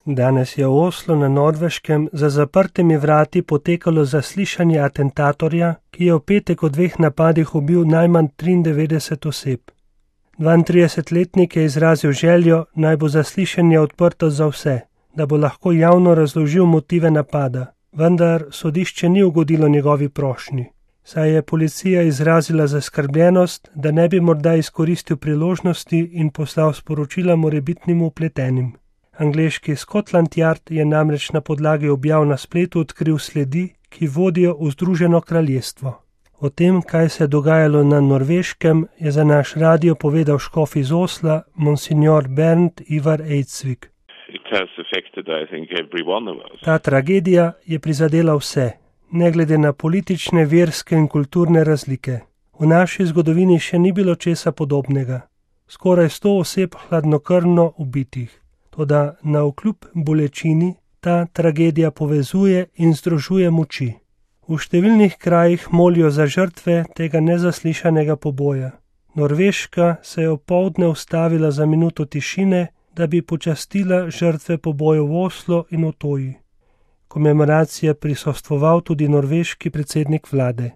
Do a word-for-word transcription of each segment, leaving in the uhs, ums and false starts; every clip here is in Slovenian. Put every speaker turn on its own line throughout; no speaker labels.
Danes je v Oslu na Norveškem za zaprtimi vrati potekalo zaslišanje atentatorja, ki je v petek v dveh napadih ubil najmanj triindevetdeset oseb. dvaintridesetletnik je izrazil željo, naj bo zaslišanje odprto za vse, da bo lahko javno razložil motive napada, vendar sodišče ni ugodilo njegovi prošnji, saj je policija izrazila zaskrbljenost, da ne bi morda izkoristil priložnosti in poslal sporočila morebitnim vpletenim. Angleški Scotland Yard je namreč na podlagi objav na spletu odkril sledi, ki vodijo v Združeno kraljestvo. O tem, kaj se je dogajalo na Norveškem, je za naš radio povedal škof iz Osla, monsignor Bernd Ivar Eidsvik. Ta tragedija je prizadela vse, ne glede na politične, verske in kulturne razlike. V naši zgodovini še ni bilo česa podobnega. Skoraj sto oseb hladnokrvno ubitih. Toda navkljub bolečini ta tragedija povezuje in združuje moči. V številnih krajih molijo za žrtve tega nezaslišanega poboja. Norveška se je opoldne ustavila za minuto tišine, da bi počastila žrtve pobojev v Oslu in Utoji. Komemoracije prisostvoval tudi norveški predsednik vlade.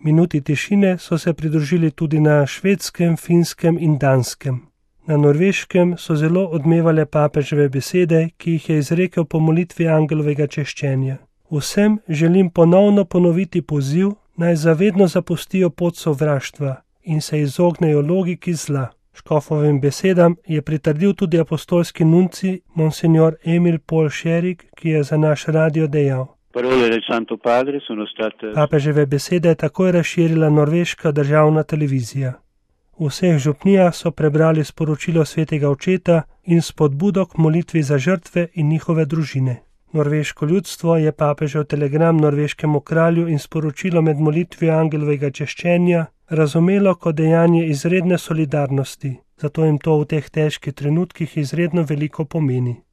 Minuti tišine so se pridružili tudi na Švedskem, Finskem in Danskem. Na Norveškem so zelo odmevale papeževe besede, ki jih je izrekel po molitvi angelovega češčenja. Vsem želim ponovno ponoviti poziv, naj zavedno zapustijo pot sovraštva in se izognejo logiki zla. Škofovim besedam je pritrdil tudi apostolski nunci monsignor Emil Paul Scherig, ki je za naš radio dejal. Papeževe besede je takoj razširila norveška državna televizija. V vseh župnijah so prebrali sporočilo svetega očeta in spodbudo k molitvi za žrtve in njihove družine. Norveško ljudstvo je papežev telegram norveškemu kralju in sporočilo med molitvijo angelovega češčenja razumelo kot dejanje izredne solidarnosti, zato jim to v teh težkih trenutkih izredno veliko pomeni.